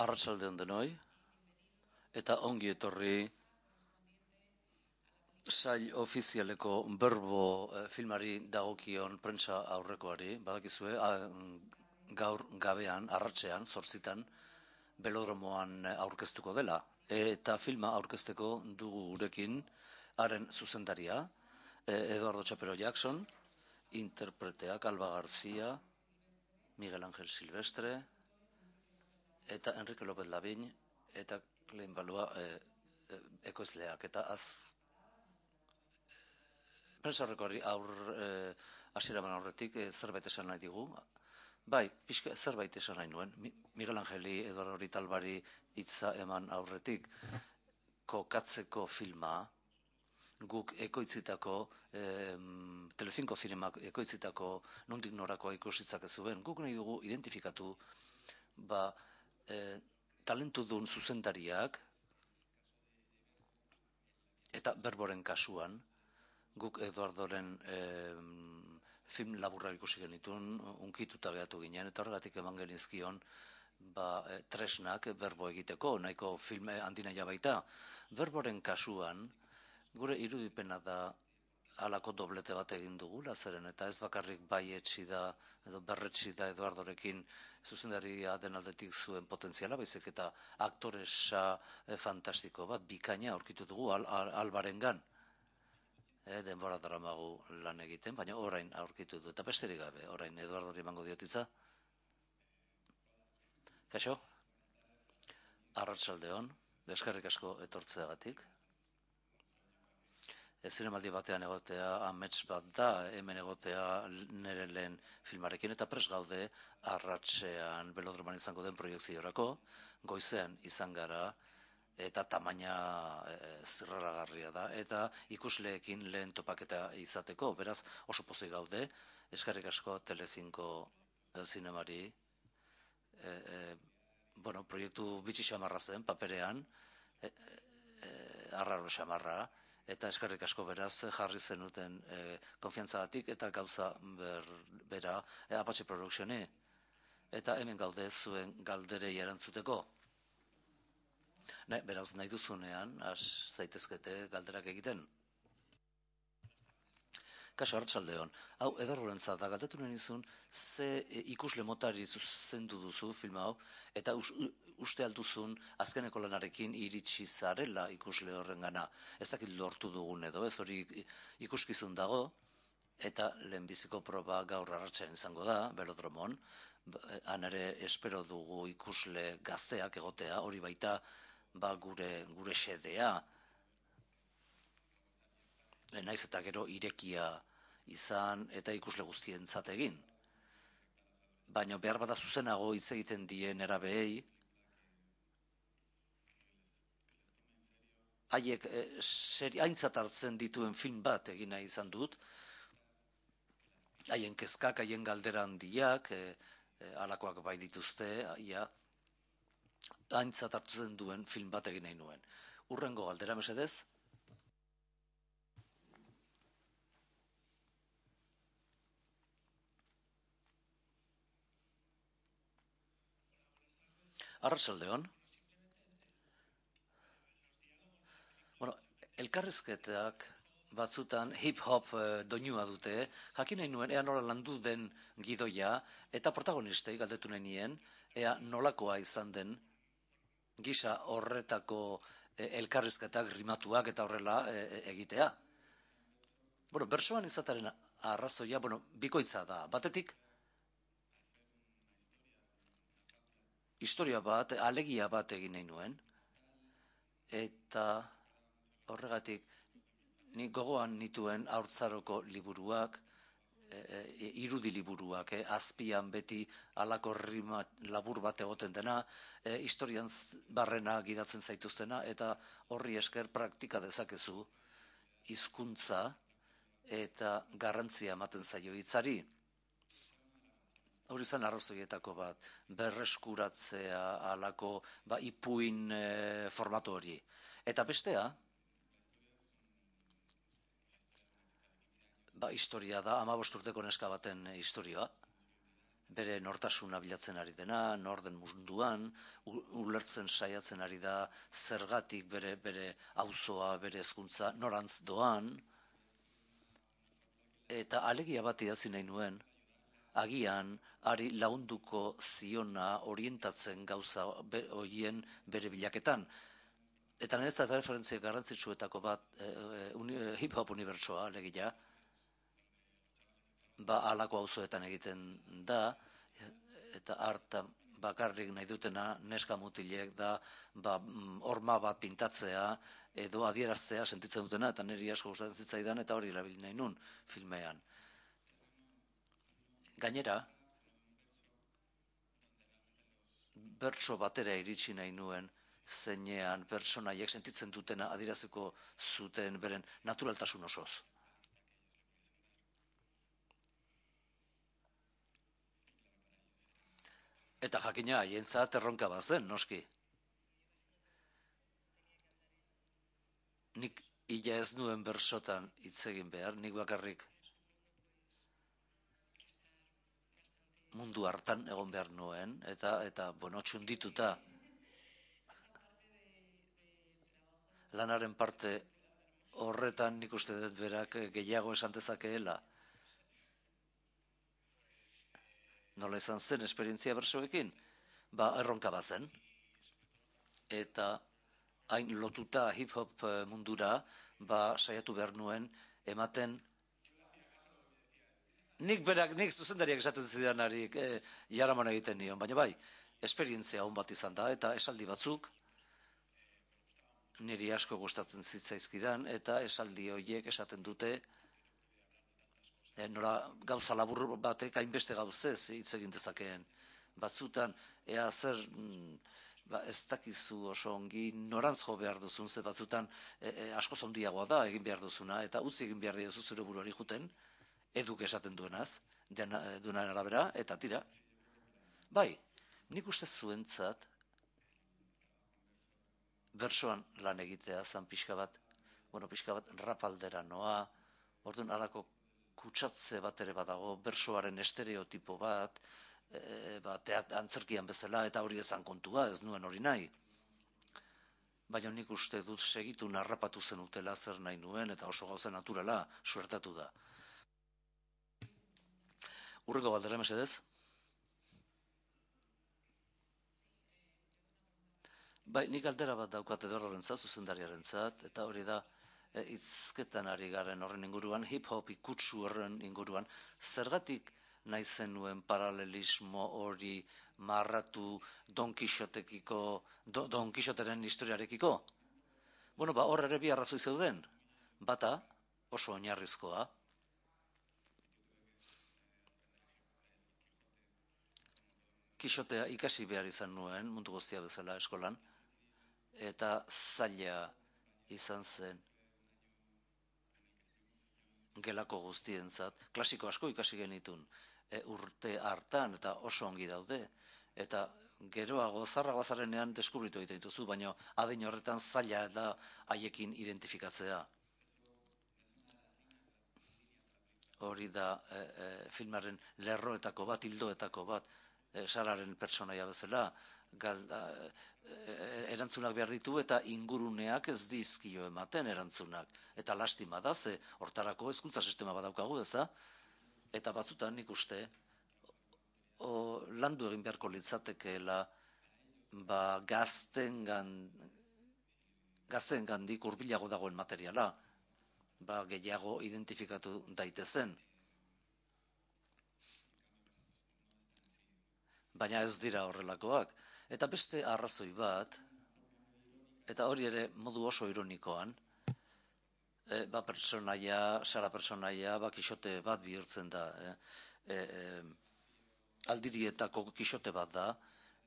Arratsalde on denoi, eta ongi etorri sail ofizialeko Berbo filmari dagokion prentsa aurrekoari. Badakizue, gaur gabean, arratsean, 8:00, belodromoan aurkeztuko dela. Eta filma aurkezteko dugu gurekin haren zuzendaria, Eduardo Chapero Jackson, interpreteak Alba García, Miguel Ángel Silvestre, eta Enrique López Lavín, eta Klein Balua ekoizleak. Eta prentsa horrekoari hasiera eman aurretik zerbait esan nahi digu. Bai, zerbait esan nahi nuen. Miguel Angeli Eduardo Talbari hitza eman aurretik, kokatzeko filma guk ekoitzitako, Telecinco Zinemak ekoitzitako nondik norakoa ikusitzak zuen. Guk nahi dugu identifikatu talentudun zuzendariak, eta Berboren kasuan guk Eduardoren film laburrak ikusi genituen, unkituta gehatu ginen, eta horregatik eman genizkion tresnak Berbo egiteko, nahiko film handinaia baita. Berboren kasuan gure irudipena da halako doblete bat egin dugula, zeren eta ez bakarrik bai etxi da edo berretsi da Eduardorekin zuzendaria den aldetik zuen potentziala, baizik eta aktoresa fantastiko bat, bikaina aurkitu dugu Albarengan. Denbora daramagu lan egiten, baina orain aurkitu du, eta besterik gabe, orain Eduardori emango diotitza. Kaixo? Arratsalde on, eskerrik asko etortzeagatik. Zinemaldi batean egotea amets bat da, hemen egotea nire lehen filmarekin, eta prest gaude arratsean belodroman izango den proiekziorako, goizean izan gara, eta tamaina zirraragarria da, eta ikusleekin lehen topaketa izateko, beraz oso pozik gaude, eskerrik asko Telecinco zinemari, proiektu bitxi xamarra zen, paperean, arraro xamarra, eta eskerrik asko beraz jarri zenuten konfiantzagatik eta gauza bera Apache Productioni, eta hemen gaude zuen galderei erantzuteko. Beraz nahi duzunean, zaitezkete galderak egiten. Kaso, arratsalde on. Hau, Eduardorentzat da, galdetu nahi nizun, ze ikusle motari zuzendu duzu film hau, eta uste alduzun azkeneko lanarekin iritsi zarela ikusle horrengana. Ez dakit lortu dugun edo, ez hori ikuskizun dago, eta lehenbiziko proba gaur arratsean izango da, belodromon. Han ere espero dugu ikusle gazteak egotea, hori baita gure xedea. Naiz eta gero irekia izan eta ikusle guztientzat egin. Baina behar bada zuzenago hitz egiten dien erabeei, haiek aintzat hartzen dituen film bat egin nahi izan dut, haien kezkak, haien galdera handiak, halakoak bai dituzte, aintzat hartzen duen film bat egin nahi nuen. Hurrengo galdera mesedez? Arratsalde on. Elkarrizketak batzutan hip-hop doinua dute, jakin nahi nuen ea nola landu den gidoia, eta protagonistei galdetu nahi nien, ea nolakoa izan den gisa horretako elkarrizketak rimatuak eta horrela egitea. Bersoan izataren arrazoia, bikoitza da. Batetik, historia bat, alegia bat egin nahi nuen, eta horregatik nik gogoan nituen haurtzaroko liburuak, irudi liburuak, azpian beti halako rima labur bat egoten dena, historian barrena gidatzen zaituztena, eta horri esker praktika dezakezu hizkuntza eta garrantzia ematen zaio hitzari. Hori zen arrazoietako bat, berreskuratzea halako ipuin formatu hori. Eta bestea, historia da, 15 urteko neska baten historia, bere nortasuna bilatzen ari dena, norden munduan, ulertzen saiatzen ari da zergatik bere auzoa, bere hezkuntza norantz doan, eta alegia bat idatzi nahi nuen, agian ari launduko ziona orientatzen gauza horien bere bilaketan. Eta niretzat referentzia garrantzitsuetako bat hip-hop unibertsoa, alegia, halako auzoetan egiten da, eta harta bakarrik nahi dutena neska mutilek da horma bat pintatzea edo adieraztea sentitzen dutena, eta niri asko gustatzen zitzaidan eta hori erabili nahi nun filmean. Gainera, bertso batera iritsi nahi nuen, zeinean pertsonaiek sentitzen dutena adieraziko zuten beren naturaltasun osoz. Eta jakina haientzat erronka bazen, noski. Nik ila ez nuen bersotan hitz egin behar, nik bakarrik mundu hartan egon behar nuen, eta bueno, txundituta lanaren parte horretan nik uste dut berak gehiago esan dezakeela. Nola izan zen esperientzia bersoekin? Erronka bazen. Eta hain lotuta hip-hop mundura, saiatu behar nuen ematen nik zuzendariak esaten zidanari jaraman egiten nion, baina bai, esperientzia hon bat izan da, eta esaldi batzuk niri asko gustatzen zitzaizkidan, eta esaldi horiek esaten dute nola gauza labur batek hainbeste gauzez hitz egin dezakeen. Batzutan, ea zer ez dakizu oso ongi norantz jo behar duzun, ze batzutan asko zondiagoa da egin behar duzuna, eta utzi egin behar diozu zure buruari juten, eduk esaten duenaz, duenaren arabera, eta tira. Bai, nik uste zuentzat bersoan lan egitea zan pixka bat rap aldera noa, orduan halako kutsatze bat ere badago, bersoaren estereotipo bat, antzerkian bezala, eta hori ezan kontua, ez nuen hori nahi. Baina nik uste dut segitu narrapatu zen utela zer nahi nuen, eta oso gauza naturala suertatu da. Urreko galdera mesedez? Bai, nik galdera bat daukat Eduardorentzat, zuzendariarentzat, eta hori da, hizketan ari garen horren inguruan, hip-hop ikutsu horren inguruan, zergatik nahi zenuen paralelismo hori marratu Don Quixoteren historiarekiko? Bueno, hor ere bi arrazoi zeuden. Bata, oso oinarrizkoa. Quixotea ikasi behar izan nuen, mundu guztia bezala eskolan, eta zaila izan zen gelako guztientzat, klasiko asko ikasi genitun urte hartan eta oso ongi daude, eta geroago zarragoa zarenean deskubritu egiten dituzu, baina adin horretan zaila da haiekin identifikatzea. Hori da filmaren lerroetako bat, hildoetako bat, Sararen pertsonaia bezala, erantzunak behar ditu eta inguruneak ez dizkio ematen erantzunak. Eta lastima da, ze hortarako hezkuntza sistema bat daukagu, ez da? Eta batzutan nik uste, landu egin beharko litzatekeela gazten gandik hurbilago dagoen materiala, gehiago identifikatu daitezen. Baina ez dira horrelakoak. Eta beste arrazoi bat, eta hori ere modu oso ironikoan, Sara pertsonaia, Kixote bat bihurtzen da. Aldirietako Kixote bat da,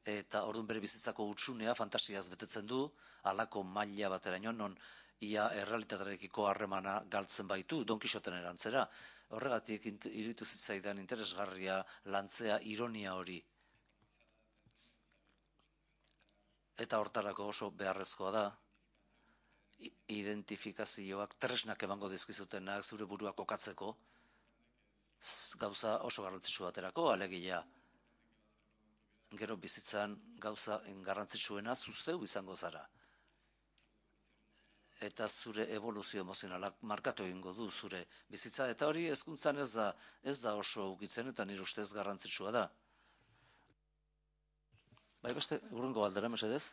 eta orduan bere bizitzako utsunea fantasiaz betetzen du, halako maila bateraino, non ia errealitatearekiko harremana galtzen baitu, Don Kixoten erantzera. Horregatik iruditu zitzaidan interesgarria lantzea ironia hori. Eta hortarako oso beharrezkoa da, identifikazioak tresnak emango dizkizutenak zure burua kokatzeko, gauza oso garrantzitsu baterako, alegia gero bizitzan gauza garrantzitsuena zuzeu izango zara. Eta zure evoluzio emozionalak markatu egingo du zure bizitza. Eta hori hezkuntzan ez da oso ukitzen eta nire ustez garrantzitsua da. Bai, beste, urrungo galdera, mesedez?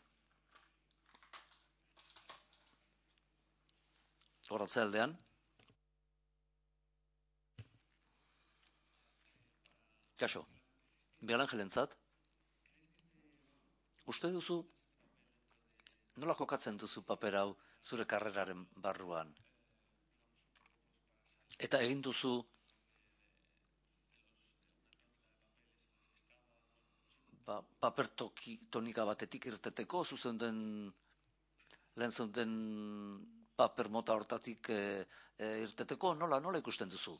Horatze aldean. Kaixo, Miguel Angelentzat, uste duzu, nola kokatzen duzu paper hau zure karreraren barruan? Eta egin duzu paper tonika batetik irteteko, zuzen den lehen zuten paper mota hortatik irteteko, nola ikusten duzu?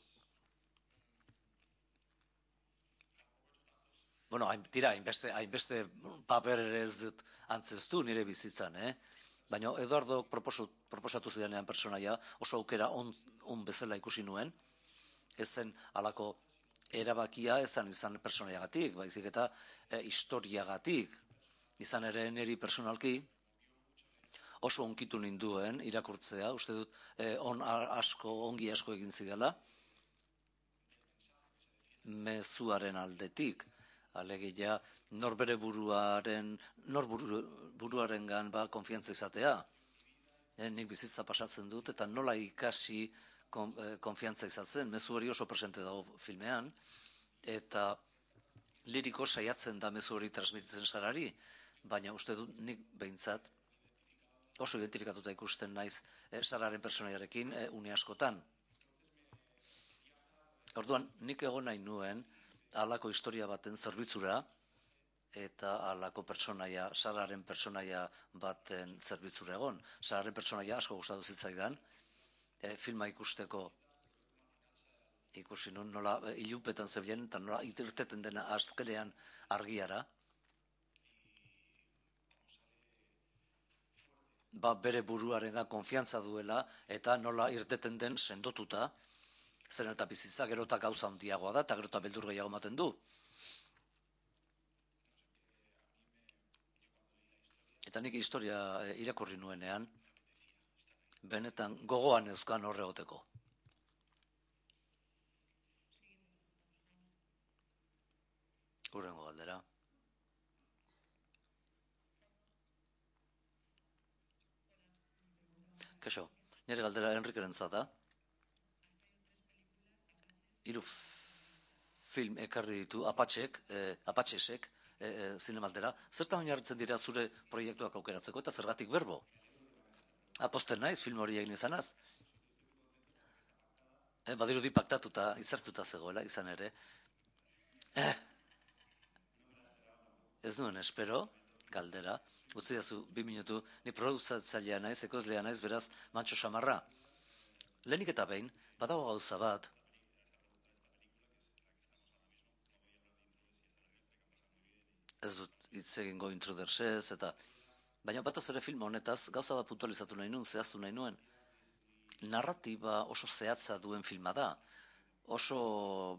Bueno, hainbeste paper ere ez dut antzeztu nire bizitzan, Baina Eduardo proposatu zidanean personaia oso aukera on bezala ikusi nuen, ez zen halako erabakia izan personaiagatik, baizik eta historiagatik, izan ere niri personalki oso onkitu ninduen irakurtzea, uste dut ongi asko egin zidala, mezuaren aldetik, alegia norbere buruarengan konfiantza izatea. Nik bizitza pasatzen dut eta nola ikasi konfiantza izatzen, mezu hori oso presente dago filmean, eta liriko saiatzen da mezu hori transmititzen sarari, baina uste dut nik behintzat oso identifikatuta ikusten naiz sararen personaiarekin une askotan. Orduan, nik egon nahi nuen halako historia baten zerbitzura eta halako pertsonaia, sararen pertsonaia baten zerbitzura egon. Sararen pertsonaia asko gustatu zitzaidan, filma ikusteko ikusi nun nola ilupetan zebilen eta nola irteten dena azkenean argiara. Bere buruarengan konfiantza duela eta nola irteten den sendotuta, zen eta bizitza gero eta gauza handiagoa da eta gero eta beldur gehiago ematen du. Eta nik historia irakurri nuenean, benetan gogoan euskan horre egoteko. Hurrengo galdera. Kaixo, nire galdera Enrikerentzat da. 3 film ekarri ditu Apatxesek zinemaldera. Zertan oinarritzen dira zure proiektuak aukeratzeko eta zergatik berbo? Aposten naiz film hori egin izanaz. Badirudi paktatuta, izartuta zegoela izan ere. Ez duen espero, galdera. Utzi dazu 2 minutu, ni produzatzailea naiz, ekoizlea naiz, beraz, mantxo samarra. Lehenik eta behin, badago gauza bat, ez dut hitz egingo Intrudersez, eta baina bataz ere film honetaz gauza bat puntualizatu nahi nuen, zehaztu nahi nuen. Narratiba oso zehatza duen filma da, oso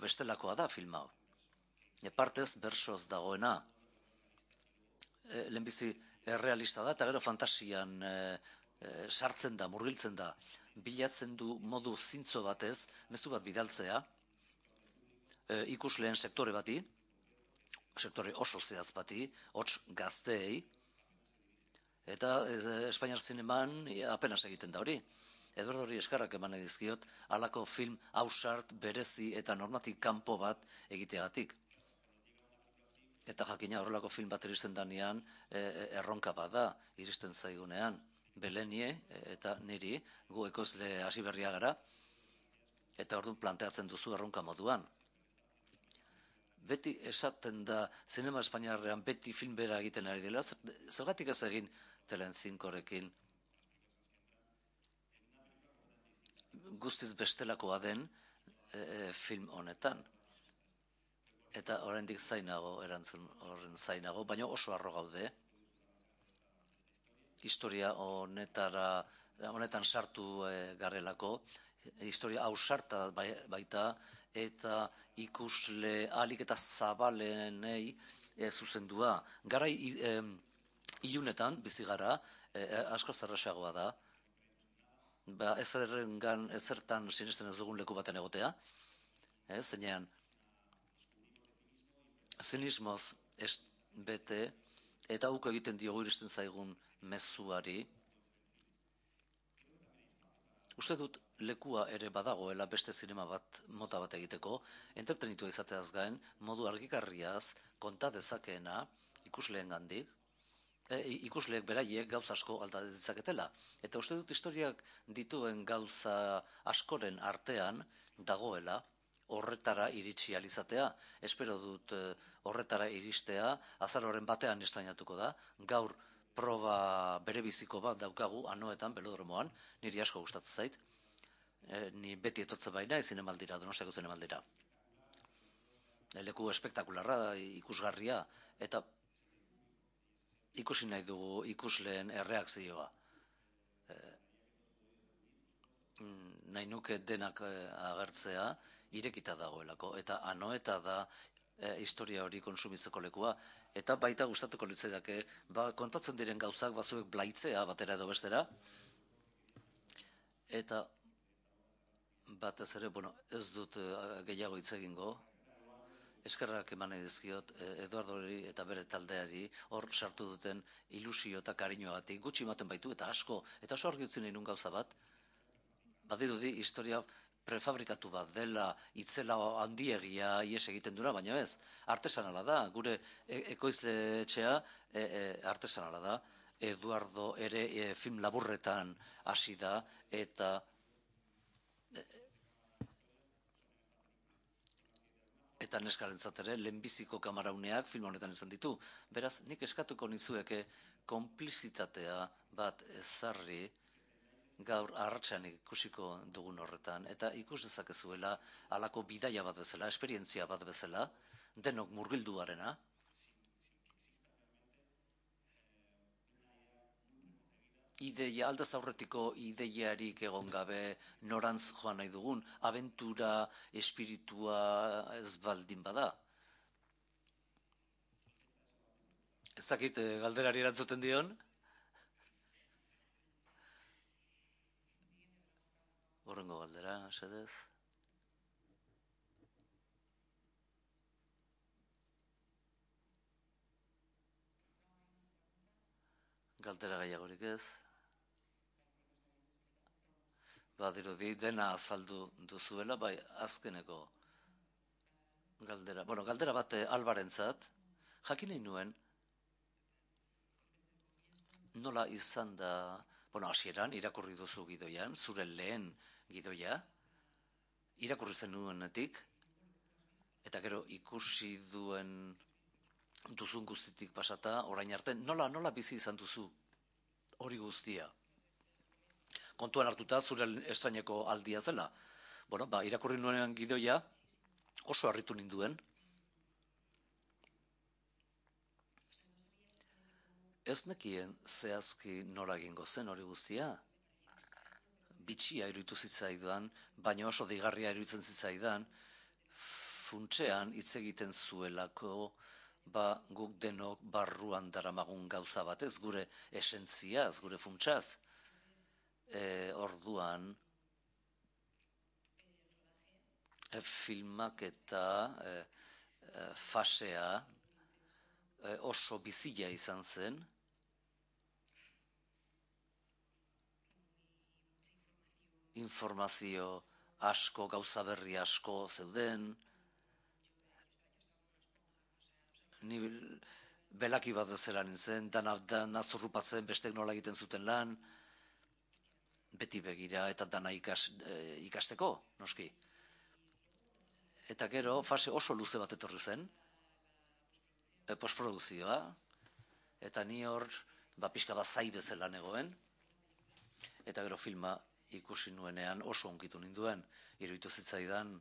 bestelakoa da filma. Partez bersoz dagoena. Lehenbizi errealista da, eta gero fantasian sartzen da, murgiltzen da. Bilatzen du modu zintzo batez, mezu bat bidaltzea, ikusleen sektore bati, sektore oso zehaz bati, hots gazteei, eta Espainiar zineman apenas egiten da hori. Eduardo hori eskarrak eman edizkiot, halako film ausart, berezi eta normatik kanpo bat egiteagatik. Eta jakina horrelako film bat iristen danean, erronka bat da, iristen zaigunean. Belenie eta niri, gu ekoizle hasi berria gara, eta orduan planteatzen duzu erronka moduan. Beti esaten da, zinema espainiarrean beti film bera egiten ari dela, zergatik ez egin Telecincorekin guztiz bestelakoa den film honetan. Eta oraindik zainago, erantzun horren zainago, baina oso harro gaude. Historia honetan sartu garelako, historia ausarta baita, eta ikusle ahalik eta zabalenei zuzendua. Garai ilunetan, bizi gara, asko zerraxagoa da, ezertan sinesten ez dugun leku baten egotea, zeinean zinismoz bete, eta uko egiten diogu iristen zaigun mezuari. Uste dut lekua ere badagoela beste zinema mota bat egiteko, entretenitua izateaz gain, modu argigarriaz konta dezakeena ikusleengandik, ikusleek beraiek gauza asko alda ditzaketela. Eta uste dut historiak dituen gauza askoren artean dagoela horretara iritsi alizatea. Espero dut horretara iristea, azaroaren batean estrainatuko da, gaur proba berebiziko bat daukagu Anoetan, Belodromoan, niri asko gustatzen zait. Ni beti etortzen baina, zinemaldira, Donostiako zinemaldira. Leku espektakularra, ikusgarria, eta ikusi nahi dugu ikusleen erreakzioa. Nahi nuke denak agertzea, irekita dagoelako, eta Anoeta da historia hori konsumitzeko lekua, eta baita gustatuko litzaidake, kontatzen diren gauzak bazuek blaitzea batera edo bestera, eta batez ere, ez dut gehiago hitz egingo, eskerrak eman nahi dizkiot Eduardori eta bere taldeari hor sartu duten ilusio eta kariñoagatik, gutxi ematen baitu eta asko, eta oso argi utzi nahi nun gauza bat, badirudi historia prefabrikatu bat dela, itzela handiegia ies egiten dura, baina ez, artesanala da, gure ekoizle etxea artesanala da, Eduardo ere film laburretan hasi da, eta neskarentzat ere lehenbiziko kamarauneak film honetan izan ditu. Beraz, nik eskatuko nizueke konplizitatea bat ezarri gaur arratsean ikusiko dugun horretan, eta ikus dezakezuela halako bidaia bat bezala, esperientzia bat bezala, denok murgilduarena, ideia, aldez aurretiko ideiarik egon gabe norantz joan nahi dugun, abentura, espiritua ez baldin bada. Ez dakit galderari erantzuten dion? Horrengo galdera, sedez. Galdera gehiagorik ez. Badirudi dena azaldu duzuela, bai azkeneko galdera. Galdera bat Albarentzat, jakin nahi nuen, nola izan da, hasieran irakurri duzu gidoian, zure lehen gidoia, irakurri zenuenetik, eta gero ikusi duzun guztitik pasata, orain arte, nola bizi izan duzu hori guztia? Kontuan hartuta zure estraineko aldia zela. Irakurri nuen gidoia, oso harritu ninduen. Ez nekien zehazki nola egingo zen hori guztia. Bitxia iruditu zitzaidan, baina oso deigarria iruditzen zitzaidan, funtsean hitz egiten zuelako, guk denok barruan daramagun gauza batez, gure esentziaz, gure funtsaz. Orduan, filmak eta fasea oso bizia izan zen. Informazio asko, gauza berri asko zeuden. Ni belaki bat bezala nintzen, dana zurrupatzen bestek nola egiten zuten lan, beti begira eta dana ikasteko, noski. Eta gero, fase oso luze bat etorri zen, postprodukzioa, eta ni hor, pixka bat zai bezala negoen, eta gero filma ikusi nuenean oso onkitu ninduen, iruditu zitzaidan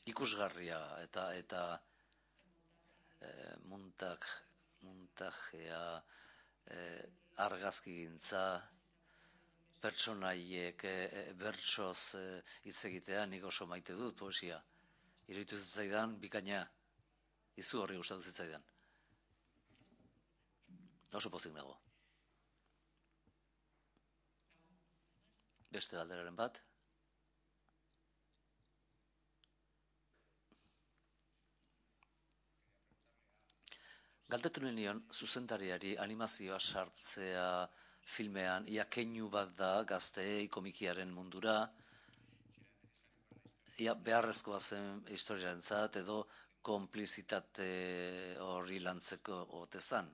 ikusgarria eta montajea, argazkigintza, pertsonaiek bertsoz hitz egitea, nik oso maite dut poesia. Iruditu zitzaidan bikaina, izu horri gustatu zitzaidan. Oso pozik nago. Beste galderaren bat. Galdetu nion zuzendariari animazioa sartzea filmean, ia keinu bat da gazteei komikiaren mundura, ia beharrezkoa zen historiarentzat edo konplizitate hori lantzeko ote zan.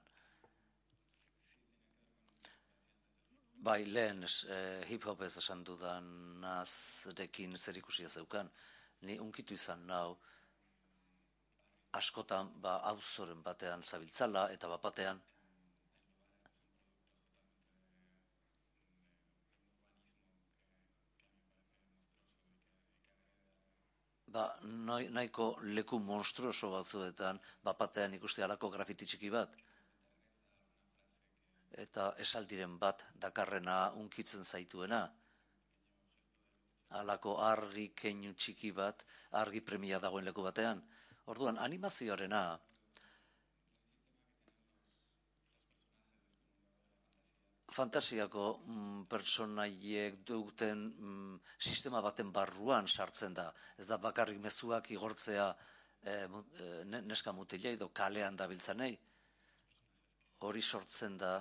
Bai, lehen hip-hop ez esan dudanazrekin zer ikusia zeukan. Ni unkitu izan nau, askotan auzoren batean zabiltzala eta bapatean nahiko leku monstruoso batzuetan bapatean ikuste halako grafiti txiki bat. Eta esaldiren bat dakarrena unkitzen zaituena. Halako argi keinu txiki bat, argi premia dagoen leku batean. Orduan, animazioarena fantasiako pertsonaiek duten sistema baten barruan sartzen da. Ez da bakarrik mezuak igortzea neska mutilei edo kalean dabiltzanei. Hori sortzen da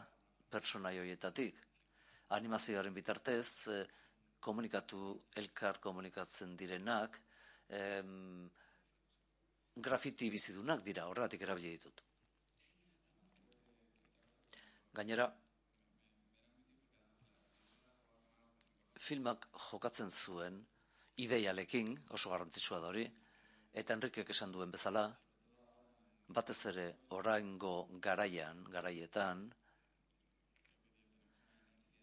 pertsonai horietatik. Animazioaren bitartez, elkar komunikatzen direnak, grafiti bizidunak dira, horregatik erabili ditut. Gainera, filmak jokatzen zuen ideialekin, oso garrantzitsua da hori, eta Enrikek esan duen bezala, batez ere oraingo garaietan,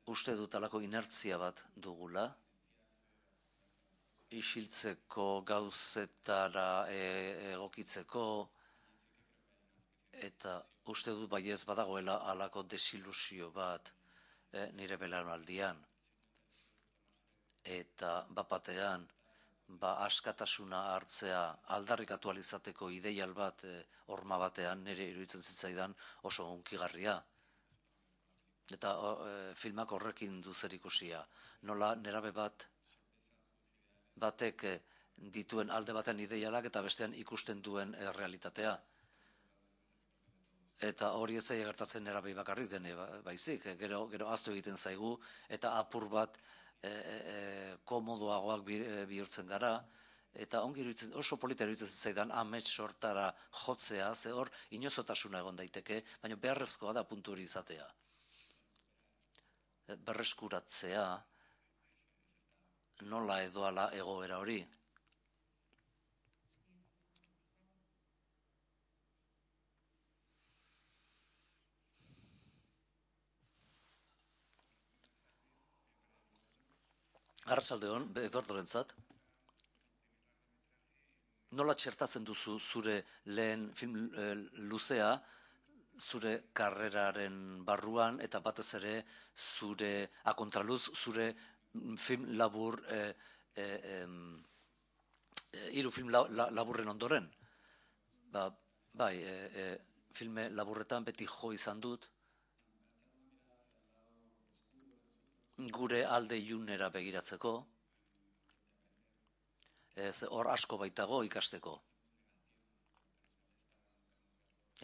uste dut alako inertzia bat dugula, isiltzeko gauzetara egokitzeko, eta uste dut baiez badagoela alako desilusio bat nire belaunaldian. Eta bapatean, askatasuna hartzea aldarrikatu alizateko ideial bat horma batean nire iruditzen zitzaidan oso hunkigarria. Eta filmak horrekin du zer ikusia. Nola nerabe batek dituen alde baten ideialak eta bestean ikusten duen realitatea. Eta hori ez zaila gertatzen nerabei bakarrik dene baizik. Gero ahaztu egiten zaigu eta apur bat komodoagoak bihurtzen gara. Eta ongi iruditzen, oso polita iruditzen zaidan amets sortara jotzea, ze hor inozotasuna egon daiteke, baina beharrezkoa da puntu hori izatea. Berreskuratzea nola edo ala egoera hori. Arratsalde-on, Eduardorentzat. Nola txertatzen duzu zure lehen film luzea, zure karreraren barruan, eta batez ere zure akontraluz, zure film labur, hiru film laburren ondoren? Bai, filme laburretan beti jo izan dut, gure alde ilunera begiratzeko, hor asko baitago ikasteko.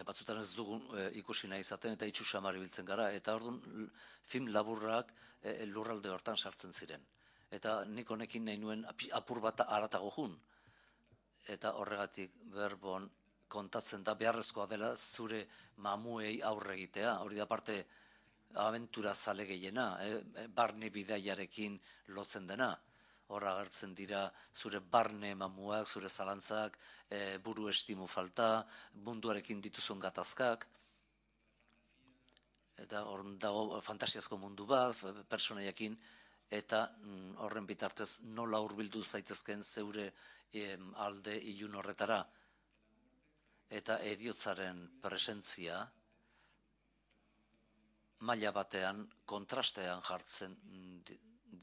Batzutan ez dugun ikusi nahi izaten eta itxu samar ibiltzen gara, eta orduan film laburrak lurralde hortan sartzen ziren. Eta nik honekin nahi nuen apur bat haratago jun. Eta horregatik Berbon kontatzen da beharrezkoa dela zure mamuei aurre egitea. Hori da parte abentura zale gehiena, barne bidaiarekin lotzen dena. Hor agertzen dira zure barne mamuak, zure zalantzak, buru estimu falta, munduarekin dituzun gatazkak. Eta hor dago fantasiazko mundu bat, personaiekin, eta horren bitartez nola hurbildu zaitezken zeure alde ilun horretara. Eta heriotzaren presentzia maila batean, kontrastean jartzen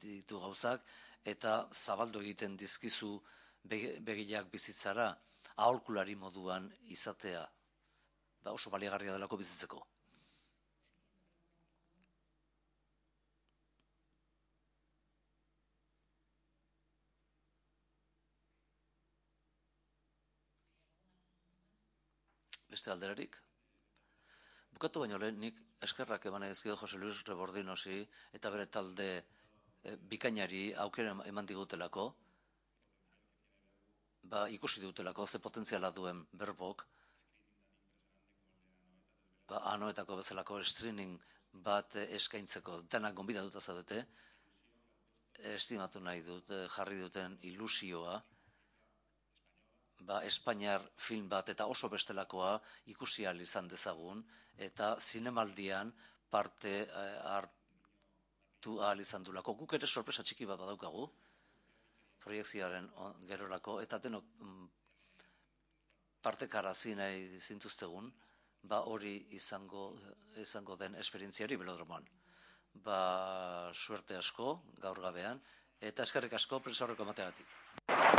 ditu gauzak, eta zabaldu egiten dizkizu begiak bizitzara aholkulari moduan izatea, oso baliagarria delako bizitzeko. Beste alderarik? Bukatu baino lehen, nik eskerrak eman edizkio Jose Luis Rebordinosi eta bere talde bikainari aukera eman digutelako, ikusi dutelako ze potentziala duen Berbok, anoetako bezalako streaming bat eskaintzeko denak gonbidatuta zaudete, estimatu nahi dut, jarri duten ilusioa, Espainiar film bat eta oso bestelakoa ikusi ahal izan dezagun, eta zinemaldian parte hartu ahal izan dulako. Guk ere sorpresa txiki bat badaukagu, proiekzioaren gerorako, eta denok partekarazi nahi zintuztegun, hori izango den esperientziari belodromoan. Suerte asko gaur gabean, eta eskerrik asko prentsaurreko emateagatik.